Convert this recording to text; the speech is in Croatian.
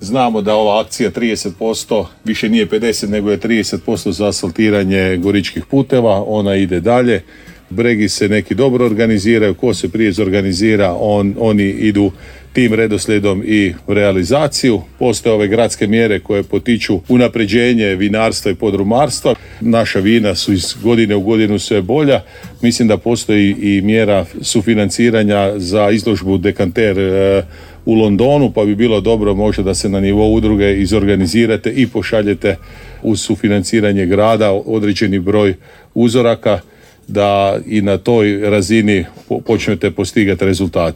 Znamo da ova akcija 30% više nije 50 nego je 30% za asfaltiranje goričkih puteva, ona ide dalje. Bregi se neki dobro organiziraju, ko se prije zorganizira, oni idu tim redoslijedom i realizaciju. Postoje ove gradske mjere koje potiču unapređenje vinarstva i podrumarstva. Naša vina su iz godine u godinu sve bolja. Mislim da postoji i mjera sufinanciranja za izložbu Dekanter u Londonu, pa bi bilo dobro možda da se na nivou udruge izorganizirate i pošaljete uz sufinanciranje grada određeni broj uzoraka, da i na toj razini počnete postigati rezultate.